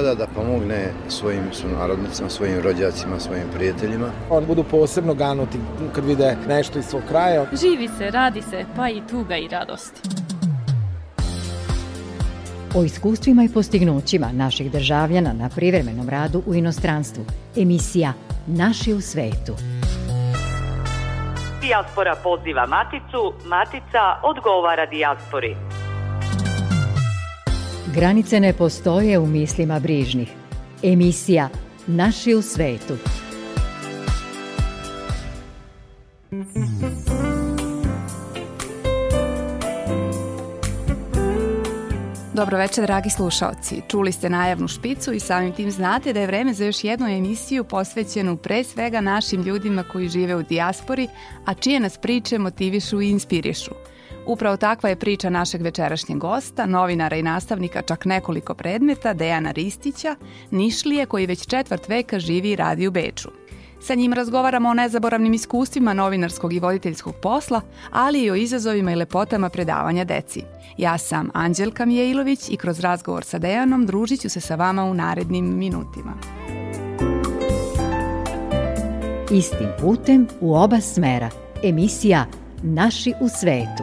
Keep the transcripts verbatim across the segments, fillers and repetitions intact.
Beograda da pomogne svojim sunarodnicima, svojim rođacima, svojim prijateljima. Oni budu posebno ganuti kad vide nešto iz svog kraja. Živi se, radi se, pa i tuga i radost. O iskustvima i postignućima naših državljana na privremenom radu u inostranstvu. Emisija Naši u svetu. Dijaspora poziva Maticu, Matica odgovara dijaspori. Granice ne postoje u mislima brižnih. Emisija Naši u svetu. Dobro večer, dragi slušaoci. Čuli ste najavnu špicu i samim tim znate da je vreme za još jednu emisiju posvećenu pre svega našim ljudima koji žive u dijaspori, a čije nas priče motivišu i inspirišu. Upravo takva je priča našeg večerašnjeg gosta, novinara i nastavnika čak nekoliko predmeta, Dejana Ristića, Nišlije koji već četvrt veka živi i radi u Beču. Sa njim razgovaramo o nezaboravnim iskustvima novinarskog i voditeljskog posla, ali i o izazovima i lepotama predavanja deci. Ja sam Anđelka Mijailović i kroz razgovor sa Dejanom družit ću se sa vama u narednim minutima. Istim putem u oba smera. Emisija Naši u svetu.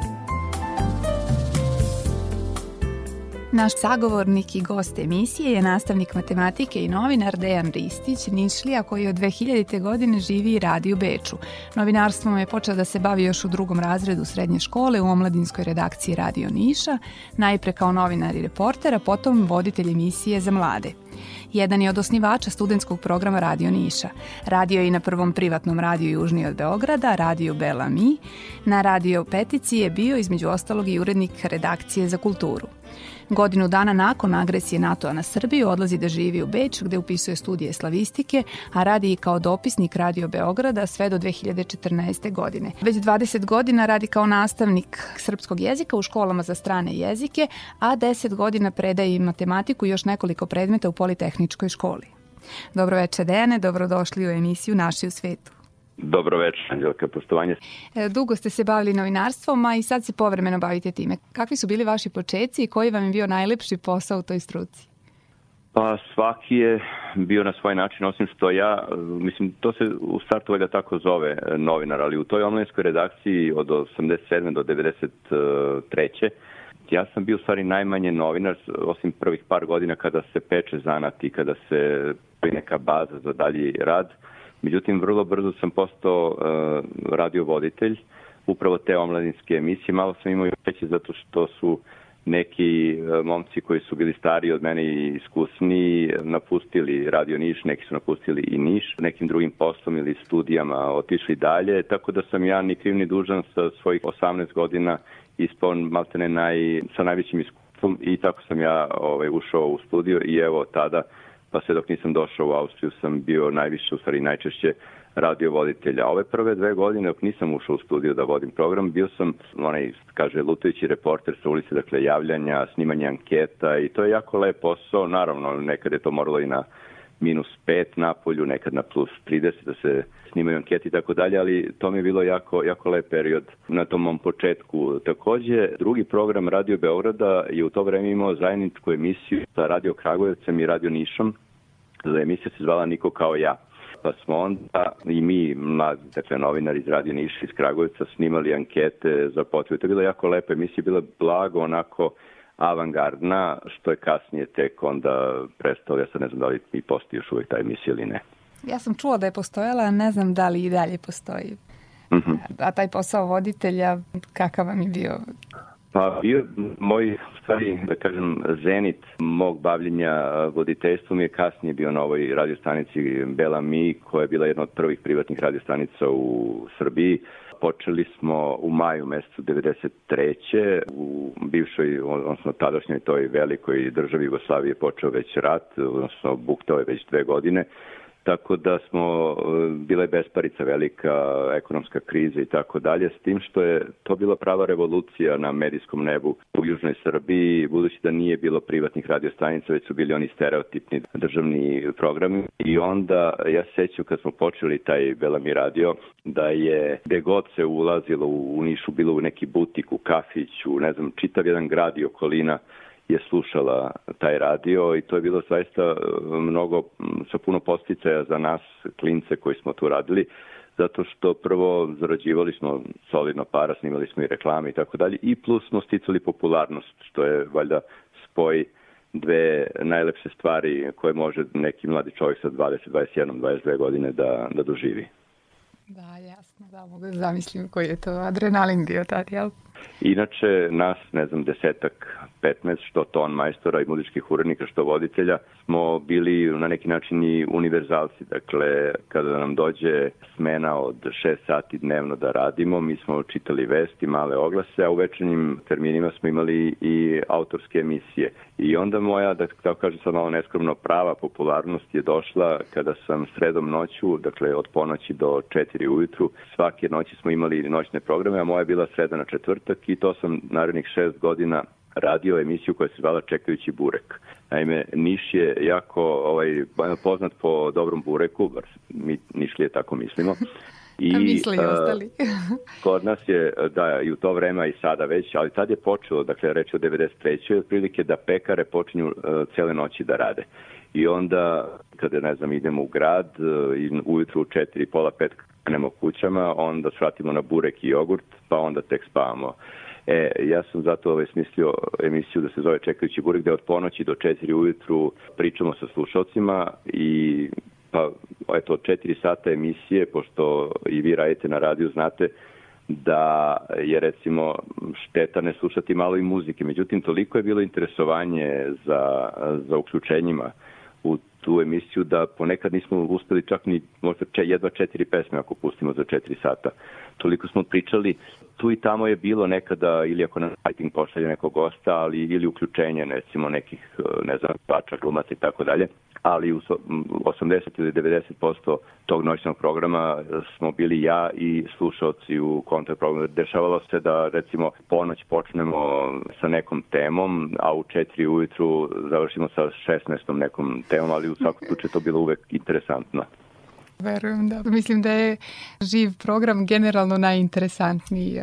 Naš sagovornik i gost emisije je nastavnik matematike i novinar Dejan Ristić, Nišlija, koji od dve hiljadite. godine živi i radi u Beču. Novinarstvom je počeo da se bavi još u drugom razredu srednje škole u omladinskoj redakciji Radio Niša, najpre kao novinar i reporter, a potom voditelj emisije za mlade. Jedan je od osnivača studentskog programa Radio Niša. Radio je i na prvom privatnom radiju južnije od Beograda, Radio Bela Mi. Na Radio Petici je bio između ostalog i urednik redakcije za kulturu. Godinu dana nakon agresije NATO-a na Srbiju odlazi da živi u Beč, gde upisuje studije slavistike, a radi i kao dopisnik Radio Beograda sve do dve hiljade četrnaeste. godine. Već dvadeset godina radi kao nastavnik srpskog jezika u školama za strane jezike, a deset godina predaje i matematiku i još nekoliko predmeta u Politehničkoj školi. Dobro večer, Dejane, dobrodošli u emisiju Naši u svetu. Dobro večer, Anđelka, poštovanje. Dugo ste se bavili novinarstvom, a i sad se povremeno bavite time. Kakvi su bili vaši počeci i koji vam je bio najlepši posao u toj struci? Pa svaki je bio na svoj način, osim što ja, mislim, to se u startu valjda tako zove novinar, ali u toj omladinskoj redakciji od osamdeset sedme do devedeset treće. ja sam bio u stvari najmanje novinar, osim prvih par godina kada se peče zanat i kada se pravi neka baza za dalji rad. Međutim, vrlo brzo sam postao uh, radiovoditelj, upravo te omladinske emisije. Malo sam imao veće zato što su neki uh, momci koji su bili stariji od mene i iskusniji napustili Radio Niš, neki su napustili i Niš, nekim drugim poslom ili studijama otišli dalje, tako da sam ja ni kriv ni dužan sa svojih osamnaest godina ispao maltene naj, sa najvećim iskustvom i tako sam ja ovaj, ušao u studio i evo tada, pa sve dok nisam došao u Austriju, sam bio najviše, u stvari najčešće radiovoditelja. Ove prve dve godine, dok nisam ušao u studio da vodim program, bio sam, onaj, kaže, lutajući reporter sa ulice, dakle, javljanja, snimanja anketa i to je jako lep posao. Naravno, nekad je to moralo i na minus pet napolju, nekad na plus trideset da se snimaju anketi i tako dalje, ali to mi je bilo jako, jako lep period na tom mom početku. Takođe, drugi program Radio Beograda je u to vreme imao zajedničku emisiju sa Radio Kragujevcem i Radio Nišom. Emisija se zvala Niko kao ja. Pa smo onda i mi, mladi, dakle, novinari iz Radio Niša iz Kragujevca, snimali ankete za potrebe. To je bila jako lepa emisija, bila blago, onako avangardna, što je kasnije tek onda prestalo. Ja sad ne znam da li i postoji još uvijek ta emisija ili ne. Ja sam čula da je postojala, a ne znam da li i dalje postoji. Mm-hmm. A taj posao voditelja, kakav vam je bio? Pa bio moj, stvari, da kažem, zenit mog bavljenja voditeljstvom je kasnije bio na ovoj radiostanici Bela Mi, koja je bila jedna od prvih privatnih radiostanica u Srbiji. Počeli smo u maju mesecu devedeset treće u bivšoj, odnosno tadašnjoj toj velikoj državi Jugoslavije počeo već rat, odnosno buktao je već dve godine. Tako da smo, bila je besparica velika, ekonomska kriza i tako dalje, s tim što je to bila prava revolucija na medijskom nebu u Južnoj Srbiji, budući da nije bilo privatnih radiostanica, već su bili oni stereotipni državni programi. I onda, ja sećam kad smo počeli taj Bela Mi radio, da je gde god se ulazilo u Nišu, bilo u neki butik, u kafić, u ne znam, čitav jedan grad i okolina, je slušala taj radio i to je bilo zaista mnogo, sa puno posticaja za nas, klince koji smo tu radili, zato što prvo zarađivali smo solidno para, snimali smo i reklame i tako dalje, i plus smo sticali popularnost, što je valjda spoj dve najlepše stvari koje može neki mladi čovjek sa dvadeset, dvadeset jedan, dvadeset dve godine da, da doživi. Da, jasno, da, mogu da zamislim koji je to adrenalin bio tad, jel? Inače, nas, ne znam, desetak, petnaest, što ton majstora i muzičkih urednika, što voditelja, smo bili na neki način i univerzalci. Dakle, kada nam dođe smena od šest sati dnevno da radimo, mi smo čitali vesti, male oglase, a u večernjim terminima smo imali i autorske emisije. I onda moja, da tako kažem sad malo neskromno, prava popularnost je došla kada sam sredom noću, dakle od ponoći do četiri ujutru, svake noći smo imali noćne programe, a moja je bila sreda na četvrtak i to sam narednih šest godina radio emisiju koja se zvala Čekajući burek. Naime, Niš je jako ovaj, poznat po dobrom bureku, mi Nišlije tako mislimo. I, a misli i ostali. Kod nas je, da, i u to vreme i sada već, ali tad je počelo, dakle, reći o devedeset trećoj otprilike da pekare počinju uh, cele noći da rade. I onda, kada, ne znam, idemo u grad uh, i ujutru u četiri, pola pet krenemo kućama, onda svratimo na burek i jogurt, pa onda tek spavamo. E, ja sam zato ovaj smislio emisiju da se zove Čekajući burek, gde od ponoći do četiri ujutru pričamo sa slušalcima i pa eto, četiri sata emisije, pošto i vi radite na radiju, znate da je recimo šteta ne slušati malo i muzike. Međutim, toliko je bilo interesovanje za, za uključenjima u tu emisiju da ponekad nismo uspeli čak ni možda jedva četiri pesme ako pustimo za četiri sata. Toliko smo pričali, tu i tamo je bilo nekada, ili ako na fighting pošalje nekog gosta, ali ili uključenje, recimo nekih, ne znam, pača, glumaca i tako dalje. Ali u osamdeset ili devedeset posto tog noćnog programa smo bili ja i slušalci u kontakt programu. Dešavalo se da, recimo, ponoć počnemo sa nekom temom, a u četiri ujutru završimo sa šesnaestom nekom temom, ali u svakom slučaju to bilo uvek interesantno. Verujem, da. Mislim da je živ program generalno najinteresantniji.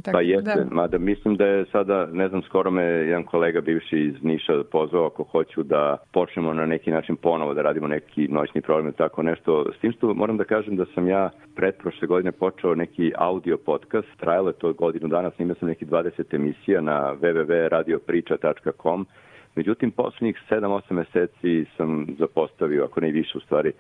Tako, pa jeste, da. Mada mislim da je sada, ne znam, skoro me jedan kolega bivši iz Niša pozvao ako hoću da počnemo na neki način ponovo da radimo neki noćni program, tako nešto. S tim što moram da kažem da sam ja pretprošle godine počeo neki audio podcast, trajalo je to godinu dana, snimao sam neki dvadeset emisija na w w w tačka radio priča tačka com. Međutim, poslednjih sedam osam meseci sam zapostavio, ako ne i više u stvari.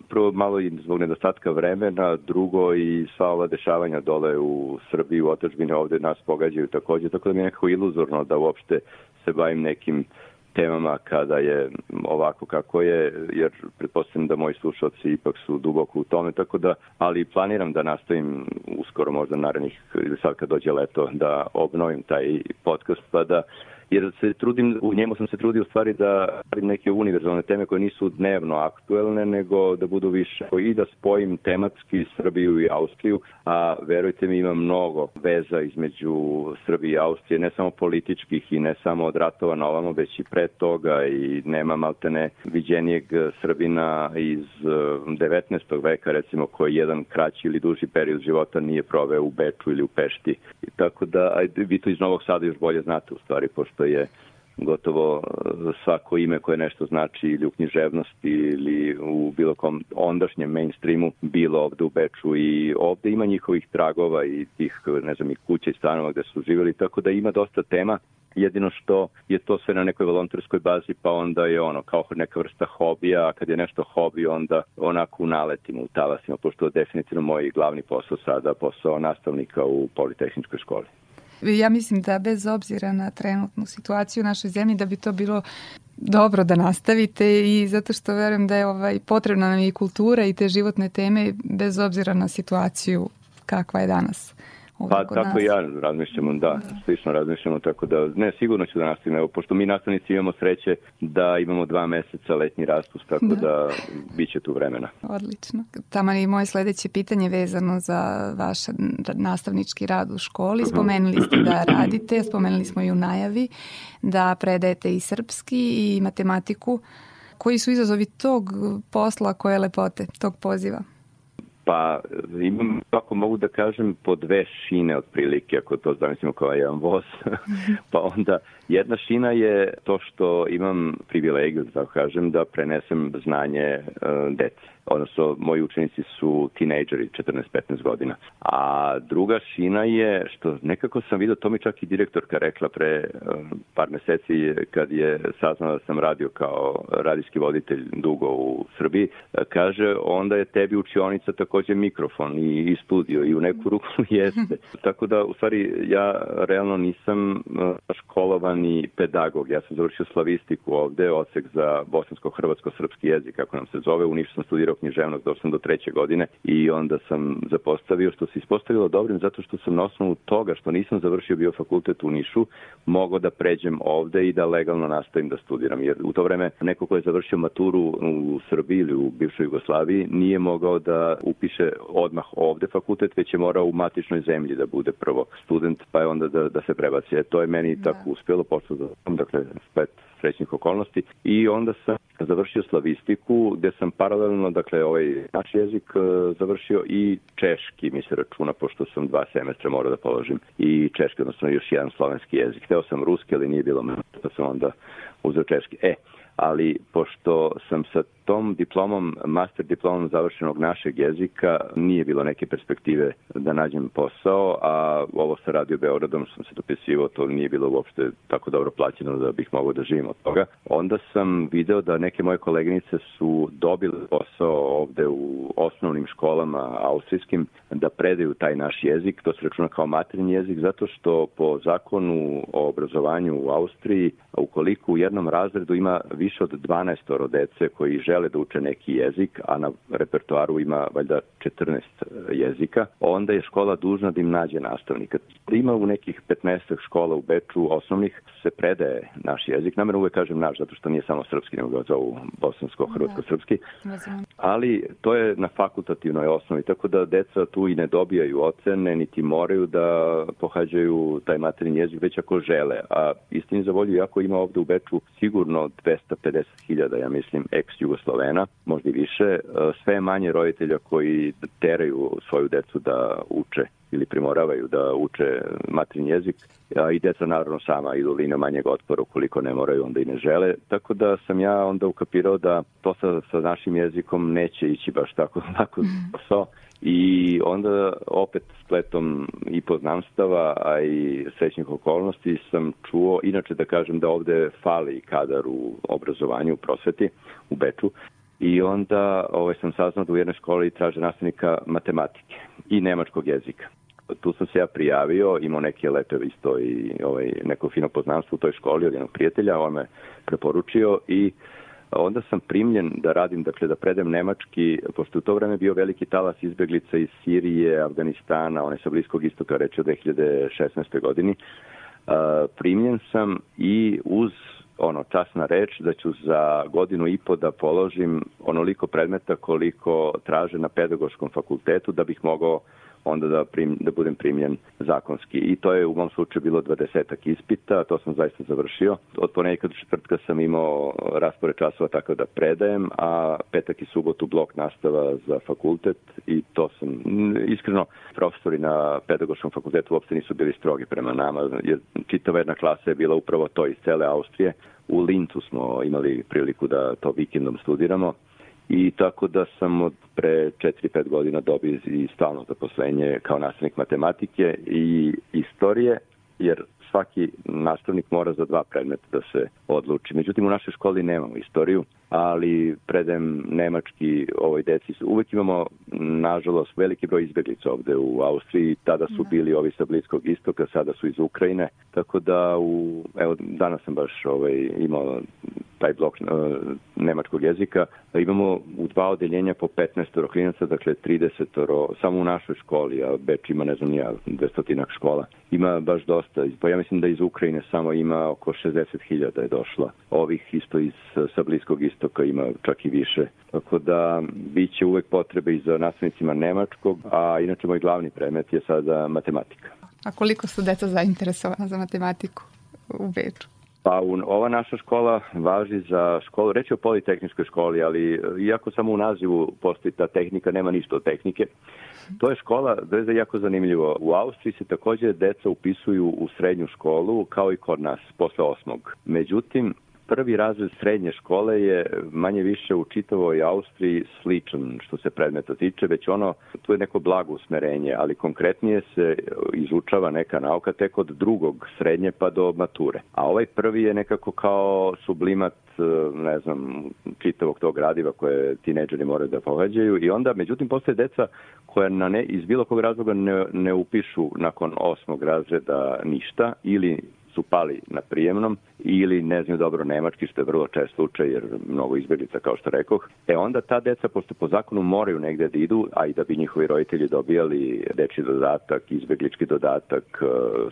Prvo malo i zbog nedostatka vremena, drugo i sva ova dešavanja dole u Srbiji, u otadžbini ovde nas pogađaju takođe, tako da mi je nekako iluzorno da uopšte se bavim nekim temama kada je ovako kako je, jer pretpostavljam da moji slušalci ipak su duboko u tome, tako da, ali planiram da nastavim uskoro možda narednih, ili sad kad dođe leto, da obnovim taj podcast, pa da jer se trudim, u njemu sam se trudio u stvari da radim neke univerzalne teme koje nisu dnevno aktuelne, nego da budu više i da spojim tematski Srbiju i Austriju, a verujte mi ima mnogo veza između Srbije i Austrije, ne samo političkih i ne samo od ratova na ovamo, već i pre toga i nema maltene viđenijeg Srbina iz devetnaestog veka, recimo, koji jedan kraći ili duži period života nije proveo u Beču ili u Pešti. I tako da, ajde, vi to iz Novog Sada još bolje znate u stvari, pošto je gotovo svako ime koje nešto znači ili u književnosti ili u bilo kom ondašnjem mainstreamu bilo ovde u Beču i ovde ima njihovih tragova i tih, ne znam, i kuća i stanova gde su živjeli, tako da ima dosta tema. Jedino što je to sve na nekoj volonterskoj bazi, pa onda je ono kao neka vrsta hobija, a kad je nešto hobi, onda onako naletimo, u talasima, pošto je definitivno moj glavni posao sada, posao nastavnika u Politehničkoj školi. Ja mislim da bez obzira na trenutnu situaciju u našoj zemlji da bi to bilo dobro da nastavite i zato što verujem da je ovaj, potrebna nam i kultura i te životne teme bez obzira na situaciju kakva je danas. Pa tako i ja razmišljamo, da, da, slično razmišljamo, tako da, ne, sigurno ću da nastavim, evo, pošto mi nastavnici imamo sreće da imamo dva meseca letnji raspust, tako da, da bit će tu vremena. Odlično. Taman i moje sledeće pitanje vezano za vaš nastavnički rad u školi. Spomenuli ste da radite, spomenuli smo i u najavi da predajete i srpski i matematiku. Koji su izazovi tog posla, koje lepote, tog poziva? Pa imam, ako mogu da kažem, po dve šine otprilike, ako to zamislimo kao jedan voz. Pa onda jedna šina je to što imam privilegiju, da kažem, da prenesem znanje uh, deci. Odnosno, moji učenici su tinejdžeri, četrnaest petnaest godina. A druga šina je, što nekako sam vidio, to mi čak i direktorka rekla pre um, par meseci kad je saznala da sam radio kao radijski voditelj dugo u Srbiji, kaže, onda je tebi učionica takođe mikrofon i, i studio i u neku ruku jeste. Tako da, u stvari, ja realno nisam uh, školovani pedagog. Ja sam završio slavistiku ovde, odsek za bosansko-hrvatsko-srpski jezik, kako nam se zove. U Nišu sam studirao književnost, došao sam do treće godine i onda sam zapostavio, što se ispostavilo dobrim, zato što sam na osnovu toga što nisam završio bio fakultet u Nišu, mogao da pređem ovde i da legalno nastavim da studiram. Jer u to vreme neko ko je završio maturu u Srbiji ili u bivšoj Jugoslaviji nije mogao da upiše odmah ovde fakultet, već je morao u matičnoj zemlji da bude prvo student, pa je onda da, da se prebaci. E, to je meni da. tako uspjelo, počeo da, dakle, spet srećnih okolnosti i onda sam završio slavistiku gde sam paralelno, dakle, ovaj naš jezik završio i češki, mi se računa, pošto sam dva semestra morao da položim i češki, odnosno još jedan slovenski jezik. Hteo sam ruski, ali nije bilo mene, pa sam onda uzeo češki. E, ali pošto sam sa tom diplomom, master diplomom završenog našeg jezika, nije bilo neke perspektive da nađem posao, a ovo sa Radio Beogradom sam se dopisivao, to nije bilo uopšte tako dobro plaćeno da bih mogao da živim od toga. Onda sam video da neke moje koleginice su dobile posao ovde u osnovnim školama austrijskim da predaju taj naš jezik, to se računa kao materinji jezik, zato što po zakonu o obrazovanju u Austriji, ukoliko u jednom razredu ima više od dvanaest dece koji žele da uče neki jezik, a na repertoaru ima valjda četrnaest jezika, onda je škola dužna da im nađe nastavnika. Ima u nekih petnaest škola u Beču osnovnih se predaje naš jezik. Namerno uvek kažem naš, zato što nije samo srpski, nego ga zovu bosansko-hrvatsko-srpski. Ali to je na fakultativnoj osnovi, tako da deca tu i ne dobijaju ocene, niti moraju da pohađaju taj materinji jezik, već ako žele. A istini za volju, jako ima ovde u Beču sigurno dvesta pedeset hiljada, ja mislim, ex-Jugoslovena, možda i više, sve manje roditelja koji teraju svoju decu da uče ili primoravaju da uče materinji jezik, a i deca naravno sama idu linijom manjeg otpora, ukoliko ne moraju, onda i ne žele. Tako da sam ja onda ukapirao da to sa, sa našim jezikom neće ići baš tako lako posao. I onda opet spletom i poznanstava, a i srećnih okolnosti sam čuo, inače da kažem da ovde fali kadar u obrazovanju, u prosveti, u Beču. I onda ovaj, sam saznao da u jednoj školi traže nastavnika matematike i nemačkog jezika. Tu sam se ja prijavio, imao neke lepe isto i ovaj, neko fino poznanstvo u toj školi od jednog prijatelja, on me preporučio i onda sam primljen da radim, dakle da predem nemački, pošto u to vreme bio veliki talas izbeglica iz Sirije, Afganistana, one sa Bliskog istoka, reče u dve hiljade šesnaestoj godini. Uh, primljen sam i uz ono časna reč da ću za godinu i po da položim onoliko predmeta koliko traže na pedagoškom fakultetu da bih mogao onda da, prim, da budem primljen zakonski. I to je u mom slučaju bilo dvadesetak ispita, to sam zaista završio. Od ponedjeljka do četvrtka sam imao raspored časova tako da predajem, a petak i subotu blok nastava za fakultet i to sam, iskreno, profesori na pedagoškom fakultetu uopšte nisu bili strogi prema nama, jer čitava jedna klasa je bila upravo to iz cele Austrije. U Lincu smo imali priliku da to vikendom studiramo. I tako da sam od pre četiri pet godina dobio i stalno zaposlenje kao nastavnik matematike i istorije, jer svaki nastavnik mora za dva predmeta da se odluči. Međutim, u našoj školi nemamo istoriju, ali predajem nemački ovoj deci. Uvek imamo, nažalost, veliki broj izbeglica ovde u Austriji. Tada su bili ovi sa Bliskog istoka, sada su iz Ukrajine. Tako da, u, evo, danas sam baš ovaj, imao taj blok uh, nemačkog jezika. Imamo u dva odeljenja po petnaest klinaca, dakle trideset samo u našoj školi, a Beč ima, ne znam, nija, dvestotinak škola. Ima baš dosta. Pa ja mislim da iz Ukrajine samo ima oko šezdeset hiljada je došla. Ovih isto iz sa Bliskog istoka ima čak i više. Tako da bit će uvek potrebe i za nastavnicima nemačkog, a inače moj glavni predmet je sada matematika. A koliko su deca zainteresovana za matematiku u Beču? Pa u, ova naša škola važi za školu, reći o politehničkoj školi, ali iako samo u nazivu postoji ta tehnika, nema ništa od tehnike. To je škola, to je jako zanimljivo. U Austriji se također deca upisuju u srednju školu, kao i kod nas, posle osmog. Međutim, prvi razred srednje škole je manje više u čitavoj Austriji sličan što se predmeta tiče, već ono, tu je neko blago usmerenje, ali konkretnije se izučava neka nauka tek od drugog srednje pa do mature. A ovaj prvi je nekako kao sublimat, ne znam, čitavog tog gradiva koje tinejdžeri moraju da pohađaju i onda, međutim, postoje deca koja na ne, iz bilo kog razloga ne, ne upišu nakon osmog razreda ništa ili su pali na prijemnom ili ne znaju dobro nemački, što je vrlo čest slučaj jer mnogo izbjeglica, kao što rekoh. E onda ta deca, pošto po zakonu moraju negde da idu, a i da bi njihovi roditelji dobijali dečji dodatak, izbjeglički dodatak,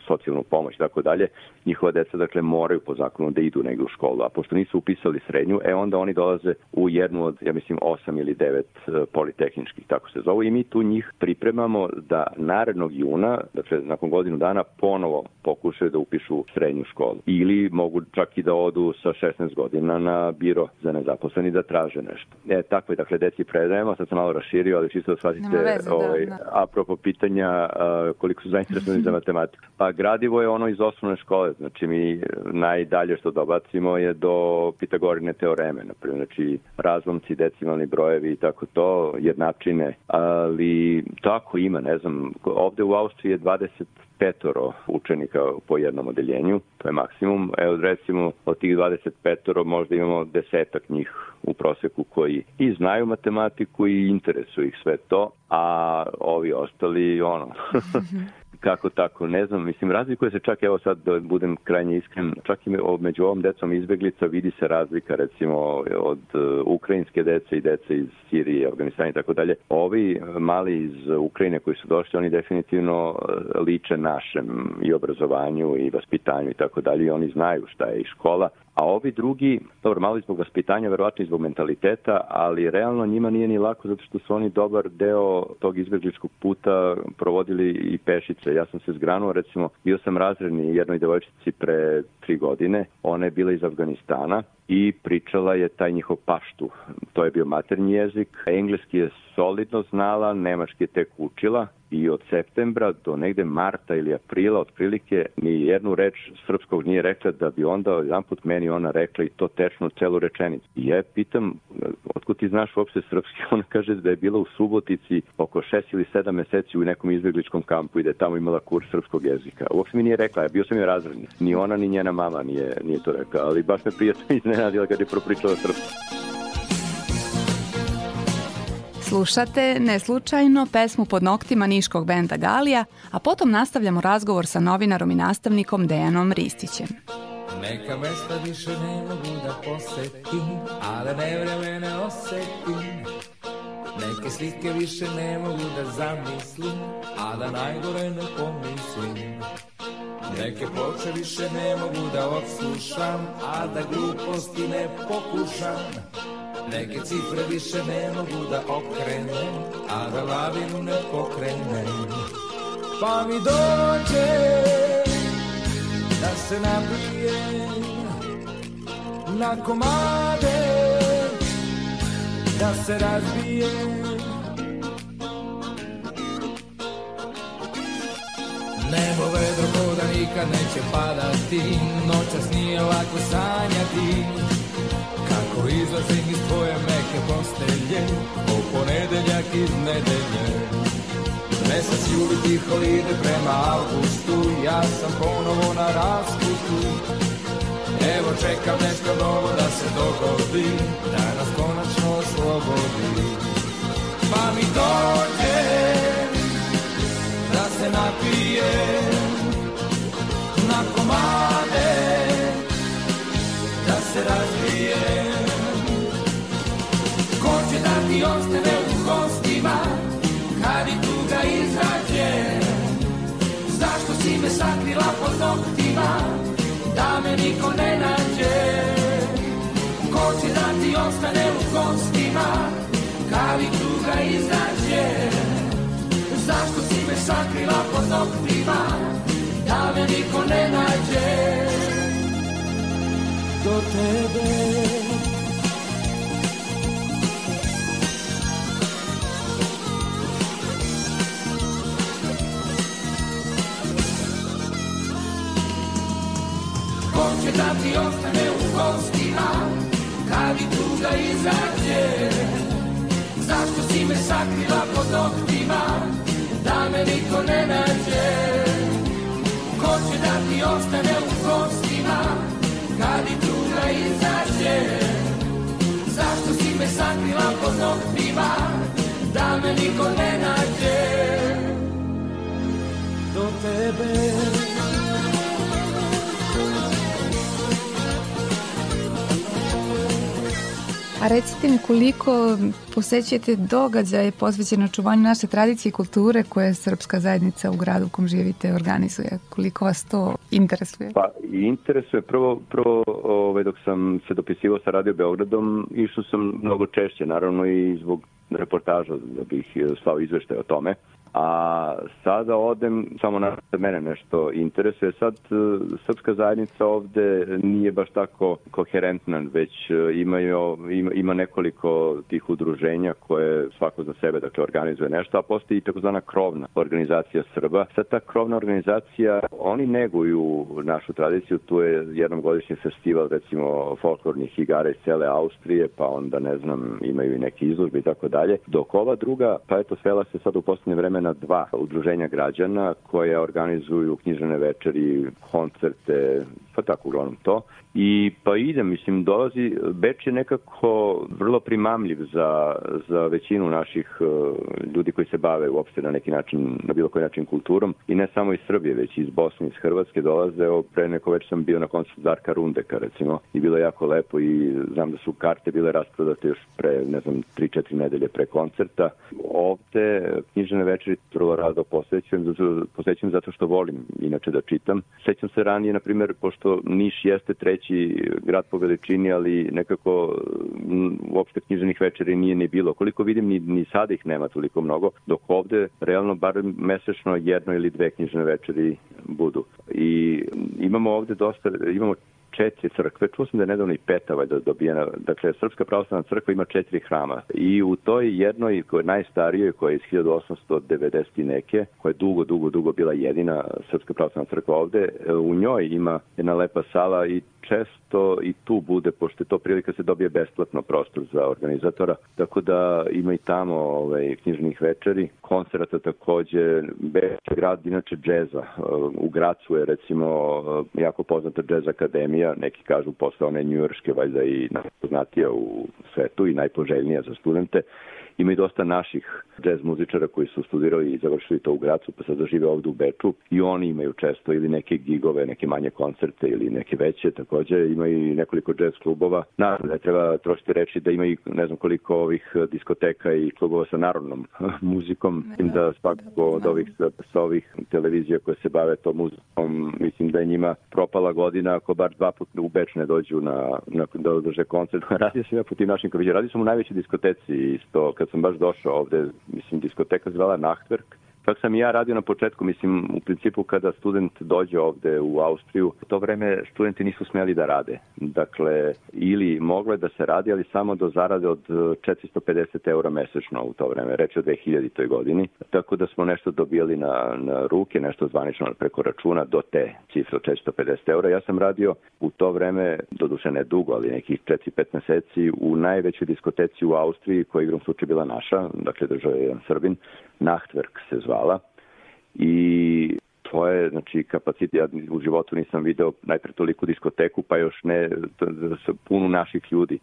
socijalnu pomoć i tako dalje, njihova deca dakle moraju po zakonu da idu negde u školu, a pošto nisu upisali srednju, e onda oni dolaze u jednu od, ja mislim, osam ili devet politehničkih, tako se zovu, i mi tu njih pripremamo da narednog juna, dakle nakon godinu dana, ponovo pokušaju da upišu srednju školu. Ili mogu čak i da odu sa šesnaest godina na biro za nezaposleni da traže nešto. E, tako je, dakle, deci predajemo, sad sam malo raširio, ali čisto da shvatite, veze, ovaj, da, da. apropo pitanja uh, koliko su zainteresovani za matematiku. Pa gradivo je ono iz osnovne škole, znači mi najdalje što dobacimo je do Pitagorine teoreme, naprimjer, znači razlomci, decimalni brojevi i tako to, jednačine, ali tako ima, ne znam, ovde u Austriji je dvadeset petoro učenika po jednom odeljenju, to je maksimum. Evo, recimo, od tih dvadeset petoro možda imamo desetak njih u proseku koji i znaju matematiku i interesuju ih sve to, a ovi ostali, ono, kako tako, ne znam, mislim, razlikuje se čak, evo sad da budem krajnje iskren, čak i među ovom decom izbjeglica vidi se razlika, recimo, od ukrajinske dece i dece iz Sirije, Afganistana i tako dalje. Ovi mali iz Ukrajine koji su došli, oni definitivno liče našem i obrazovanju i vaspitanju i tako dalje, i oni znaju šta je i škola. A ovi drugi, dobro, malo i zbog vaspitanja, verovatno i zbog mentaliteta, ali realno njima nije ni lako zato što su oni dobar deo tog izbjegličkog puta provodili i pešice. Ja sam se zgranuo, recimo, bio sam razredni jednoj devojčici pre tri godine, ona je bila iz Afganistana i pričala je taj njihov paštu. To je bio maternji jezik, engleski je solidno znala, nemački je tek učila i od septembra do negde marta ili aprila otprilike ni jednu reč srpskog nije rekla, da bi onda jedan put meni ona rekla i to tečno celu rečenicu. I ja pitam, otkud ti znaš uopšte srpski? Ona kaže da je bila u Subotici oko šest ili sedam meseci u nekom izbjegličkom kampu i da je tamo imala kurs srpskog jezika. Uopšte mi nije rekla, ja bio sam je razredni. Ni ona ni njena mama nije, nije to rekla, ali baš me prijatno iznenadila kad je propričala srpski. Slušate neslučajno pesmu Pod noktima niškog benda Galija, a potom nastavljamo razgovor sa novinarom i nastavnikom Dejanom Ristićem. Neka mesta više ne mogu da posetim, a da nevremene osetim. Neke slike više ne mogu da zamislim, a da najgore ne pomislim. Neke ploče više ne mogu da odslušam, a da gluposti ne pokušam. Neke cifre više ne mogu da okrenem, a da lavinu ne pokrenem. Pa mi dođe da se nabijem na komade, da se razbijem. Nebo vedro ko da nikad neće padati, noćas nije lako sanjati. Kako izlazim iz tvoje meke postelje, o ponedeljak iz nedelje. Mesec juli tiho ide prema avgustu, ja sam ponovo na raspustu. Evo čekam nešto novo da se dogodi, da nas konačno oslobodi. Pa mi dođe da se napijem na komade, da se razbijem. Ko će da ti ostane u gostima kad i tuga izađe? Zašto si me sakrila pod noktima da me niko ne nađe? Ko će da ti ostane u gostima kad i tuga izađe? Zašto si me sakrila pod noktima da me niko ne nađe? tebe. Ko će da ti ostane u kostima kad i tuga izađe? Zašto si me sakrila pod noktima da me niko ne nađe? Ko će da ti ostane u kostima kad i tuga izađe? Zašto si me sakrila pod noktima da me niko ne nađe? Do tebe. A recite mi koliko posećujete događaje posvećene očuvanju naše tradicije i kulture koje srpska zajednica u gradu u kom živite organizuje? Koliko vas to interesuje? Pa interesuje. Prvo, prvo ovaj, dok sam se dopisivao sa Radio Beogradom, išao sam mnogo češće, naravno i zbog reportaža da bih slao izveštaj o tome. A sada odem, samo na mene nešto interesuje. Sad srpska zajednica ovde nije baš tako koherentna, već imaju, ima, ima nekoliko tih udruženja koje svako za sebe dakle, organizuje nešto, a postoji i takozvana krovna organizacija Srba. Sad ta krovna organizacija, oni neguju našu tradiciju, tu je jednom godišnji festival recimo folklornih igara iz cele Austrije, pa onda ne znam, imaju i neke izložbe i tako dalje. Dok ova druga, pa eto svela se sad u posljednje vreme na dva udruženja građana koje organizuju književne večeri, koncerte, pa tako uglavnom to. I pa idem, mislim, dolazi, Beč je nekako vrlo primamljiv za, za većinu naših uh, ljudi koji se bave uopšte na neki način, na bilo koji način kulturom i ne samo iz Srbije, već iz Bosne, iz Hrvatske dolaze. Evo, pre neko već sam bio na koncertu Darka Rundeka, recimo, i bilo je jako lepo i znam da su karte bile rasprodate još pre, ne znam, tri četiri nedelje pre koncerta. Ovde književne večeri vrlo rado posvećujem, posvećujem zato što volim inače da čitam. Sećam se ranije, na primjer, pošto Niš jeste treći grad po veličini, ali nekako m, uopšte književnih večeri nije ni bilo. Koliko vidim, ni, ni sada ih nema toliko mnogo, dok ovde realno bar mesečno jedno ili dve književne večeri budu. I imamo ovde dosta, imamo četiri crkve, čuo sam da je nedavno i peta valjda dobijena, dakle Srpska pravoslavna crkva ima četiri hrama i u toj jednoj, koja je najstarijoj, koja je iz hiljadu osamsto devedeset neke, koja je dugo, dugo, dugo bila jedina Srpska pravoslavna crkva ovde, u njoj ima jedna lepa sala i često i tu bude, pošto je to prilika se dobije besplatno prostor za organizatora, tako da ima i tamo ovaj, književnih večeri, koncerata takođe, Beč je grad inače džeza, u Gracu je recimo jako poznata džez akademija, neki kažu posle one njujorške, valjda i najpoznatija u svetu i najpoželjnija za studente. Ima i dosta naših džez muzičara koji su studirali i završili to u Gracu, pa sad žive ovdje u Beču i oni imaju često ili neke gigove, neke manje koncerte ili neke veće. Također ima i nekoliko džez klubova. Naravno, ne treba trošiti reći da ima i ne znam koliko ovih diskoteka i klubova sa narodnom muzikom. Mislim da svakako od ovih, sa ovih televizija koje se bave to muzikom, mislim da je njima propala godina ako bar dva puta u Beč ne dođu na, na, da održe koncert. Radio sam ja po tim našim kaviđe. Radio sam u najvećoj diskoteci isto, kad sam baš došao ovde, mislim, diskoteka zvala Nachtwerk. Čak sam i ja radio na početku, mislim, u principu kada student dođe ovde u Austriju, u to vreme studenti nisu smeli da rade. Dakle, ili moglo je da se radi, ali samo do zarade od četiristo pedeset eura mesečno u to vreme, reč o dve hiljaditoj godini. Tako da smo nešto dobijali na, na ruke, nešto zvanično preko računa do te cifre od četiristo pedeset eura. Ja sam radio u to vreme, doduše ne dugo, ali nekih četiri pet meseci, u najvećoj diskoteci u Austriji, koja igrom slučaj bila naša, dakle držao je jedan Srbin, Nachtwerk se zvala. I to je, znači, kapacitet, ja u životu nisam video najpre toliku diskoteku, pa još ne punu naših ljudi.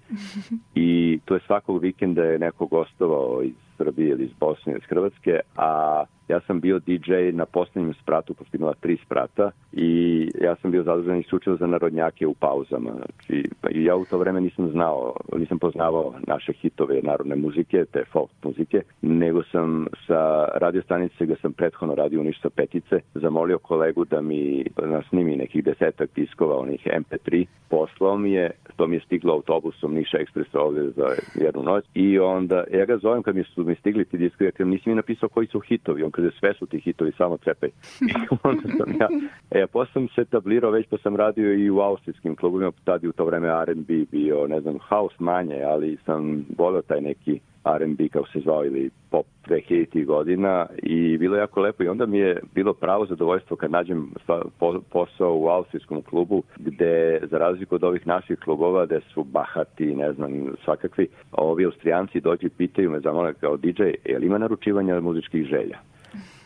I to je svakog vikenda je neko gostovao iz Srbije ili iz Bosne ili iz Hrvatske, a ja sam bio di džej na posljednjem spratu, pošto imala tri sprata i ja sam bio zadužen isključivo za narodnjake u pauzama. Znači, ja u to vreme nisam znao, nisam poznavao naše hitove narodne muzike, te folk muzike, nego sam sa radio stanice, gde sam prethodno radio u Niš sa Petice, zamolio kolegu da mi snimi nekih desetak diskova, onih em pe tri, poslao mi je, to mi je stiglo autobusom Niša Ekspresa ovdje za jednu noć i onda ja ga zovem kad mi su mi stigli ti diskovi, ja nisi mi napisao koji su hitovi, on kaže sve su ti hitovi, samo cepaj. Onda sam ja, e, posle sam se tablirao već pa sam radio i u austrijskim klubovima, tad je u to vreme R and B bio, ne znam, house manje, ali sam volio taj neki R and B kako se zvao ili pop dve hiljaditih godina i bilo je jako lepo i onda mi je bilo pravo zadovoljstvo kad nađem posao u austrijskom klubu gde za razliku od ovih naših klubova gde su bahati, ne znam, svakakvi, ovi Austrijanci dođu i pitaju me zamole kao D J, je li ima naručivanja muzičkih želja?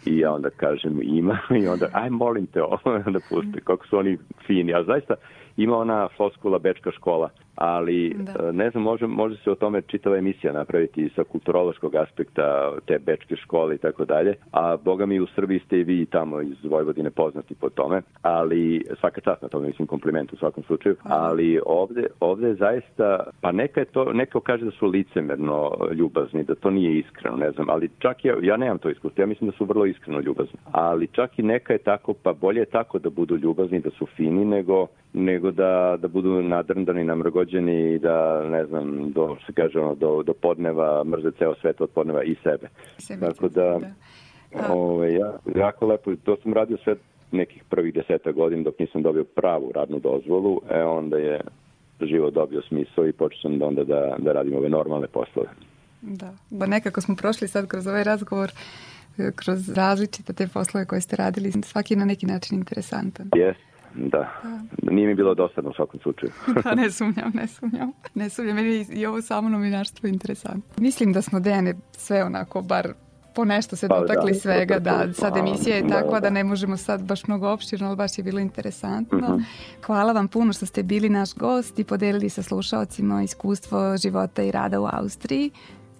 I ja onda kažem ima i onda aj molim te ovo da puste kako su oni fini, a zaista ima ona floskula bečka škola, ali da. Ne znam, može, može se o tome čitava emisija napraviti sa kulturološkog aspekta te bečke škole i tako dalje, a boga mi u Srbiji ste i vi tamo iz Vojvodine poznati po tome, ali svaka čast na tome, mislim kompliment u svakom slučaju, ali ovde, ovde je zaista, pa neka je to, neko kaže da su licemerno ljubazni, da to nije iskreno, ne znam, ali čak ja, ja nemam to iskustvo, ja mislim da su vrlo iskreno ljubazni, ali čak i neka je tako, pa bolje je tako da budu ljubazni, da su fini, nego nego da, da budu nadrndani, namrgođeni i da, ne znam, do, se kaže ono, do, do podneva mrze ceo svet od podneva i sebe. sebe Tako da, da. Ove, ja, jako lepo, to sam radio sve nekih prvih deseta godina dok nisam dobio pravu radnu dozvolu, e onda je život dobio smisao i počeo sam onda da, da radim ove normalne poslove. Da, ba nekako smo prošli sad kroz ovaj razgovor kroz različite te poslove koje ste radili, svaki je na neki način interesantan. Yes. Da, nije mi bilo dosadno u svakom slučaju. Da, ne sumnjam, ne sumnjam. Ne sumnjam, meni je i ovo samo novinarstvo interesantno. Mislim da smo, Dejane, sve onako, bar po nešto se pa, dotakli da, svega, da, da sad emisija je takva da, da. da ne možemo sad baš mnogo opširno, ali baš je bilo interesantno. Mm-hmm. Hvala vam puno što ste bili naš gost i podelili sa slušaocima iskustvo života i rada u Austriji.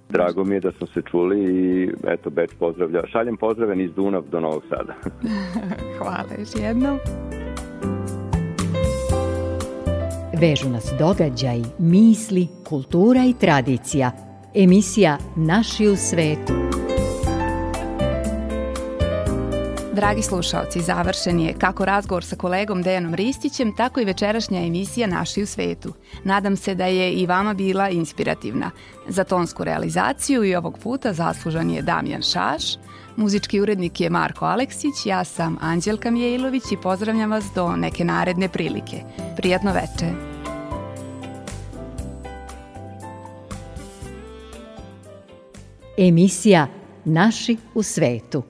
Drago mi je da smo se čuli i eto, Beč pozdravlja. Šaljem pozdrave iz Dunav do Novog Sada. Hvala još jednom. Vežu nas događaj, misli, kultura i tradicija. Emisija Naši u svetu. Dragi slušaoci, završen je kako razgovor sa kolegom Dejanom Ristićem, tako i večerašnja emisija Naši u svetu. Nadam se da je i vama bila inspirativna. Za tonsku realizaciju i ovog puta zaslužan je Damjan Šaš, muzički urednik je Marko Aleksić, ja sam Anđelka Mijailović i pozdravljam vas do neke naredne prilike. Prijatno večer. Emisija Naši u svetu.